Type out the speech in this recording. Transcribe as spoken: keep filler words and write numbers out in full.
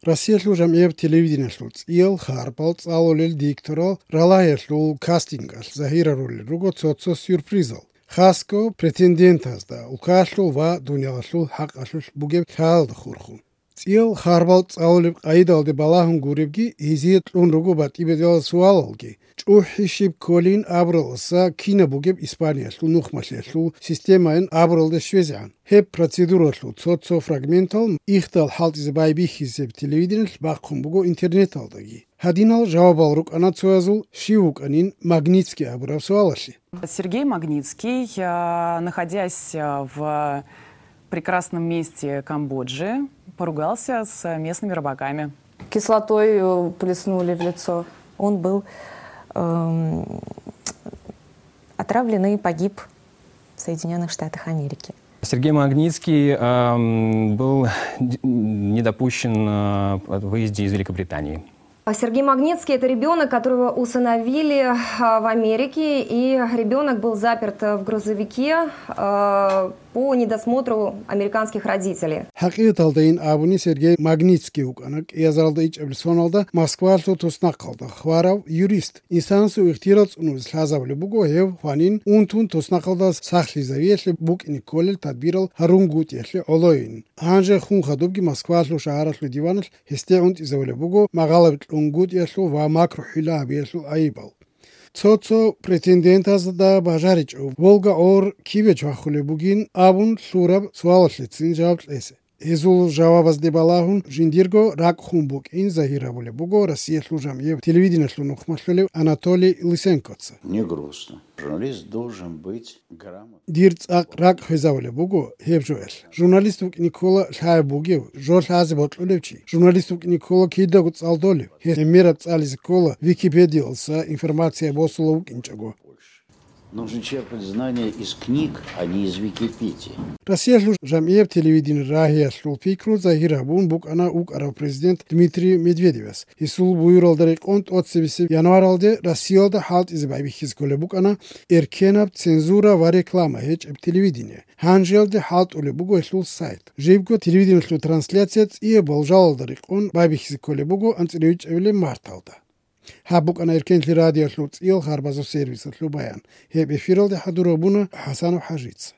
Россиялъул жамгӀияб телевидениялъул цӀиял харпал цӀалулел дикторал ралагьиялъул кастингалъ загьирарулел руго цо-цо сюрпризал, хасго претендентазда улкаялъул ва дуниялалъул хӀакъалъулъ бугеб лъалалда хурхун. ЦӀиял харпал цӀалулеб къайдалде балагьун гуребги, гьезие кьун руго батӀи-бетӀерал суалалги, чӀухӀи щиб кколин абуралдаса кинаб бугеб Испаниялъул нухмалъиялъул системаялъ абуралде щвезегӀан. Гьеб процедуралъул цо-цо фрагментал ихдал хӀалтӀизе байбихьизеб телевидениялъ бахъун буго интернеталдаги. Гьадинал жавабал рукӀана цоязул, щив вукӀанин Магнитский абураб суалалъе. Сергей Магнитский, а, находясь, а, в прекрасном месте Камбоджи, поругался с местными рыбаками. Кислотой, э, плеснули в лицо. Он был, эм, отравлен и погиб в Соединённых Штатах Америки. Сергей Магнитский, эм, был д-, не допущен, э, в выезде из Великобритании. А Сергей Магнитский — это ребёнок, которого усыновили, а, в Америке, и ребёнок был заперт в грузовике, а, по недосмотру американских родителей. ХӀакъикъаталдайин абуни, Сергей Магнитский вукӀана кӀиазаралда ичӀабилеб соналда Москвалъул туснахъалда хварав юрист. Инсанасул ихтияр цӀунузе лъазабулеб буго гьев хванин унтун туснахъалда сахлъизавиялъе букӀине кколел тадбирал гьарунгутӀиялъе гӀолойин. Гьанже хун хадубги Москвалъул шагьаралъул диваналъ гьесде унтӀизавулеб буго магъалаб кьунгутӀиялъул ва макру-хӀила гьабиялъул айибал. Цо-цо претендентазда бажаричӀо, Волга гӀор кибе чвахулеб бугин абун лъураб суалалъецин жаваб кьезе. Гьезул жавабазде балагьун, жиндирго ракӀ хун букӀин загьир гьабулеб буго Россиялъул жамгӀияб телевидениялъул нухмалъулев Анатолий Лысенкоца. Не грустно. Журналист должен быть грамотным. Дир цӀакъ ракӀ хвезавулеб буго гьеб жоялъ. Журналист вукӀине ккола лъаяб бугев, жо лъазе бокьулев чи. Журналист вукӀине ккола кидаго цӀалдолев. Гьеб гӀемераб цӀализе ккола Википедиялдаса информация босулев вукӀинчӀого. Нужно черпать знания из книг, а не из Википедии. Россиялъул жамгӀияб телевидение рагьиялъул пикру загьир гьабун букӀана укӀарав президент Дмитрий Медведевас. Гьесул буюралда рекъон тӀоцебесеб январалде Россиялда хӀалтӀизе байбихьизе кколеб букӀана эркенаб цензура ва реклама гьечӀеб телевидение. Гьанжеялде хӀалтӀулеб буго гьелъул сайт. Жибго телевидениялъул трансляция цӀияб болжалалда рекъон байбихьизе кколеб буго анцӀила вичӀабилеб марталда. Гьаб букӀана Эркенлъи радиоялъул цӀиял харбазул сервисалъул баян. Гьеб эфиралде хӀадур гьабуна ХӀасанов ХӀажица.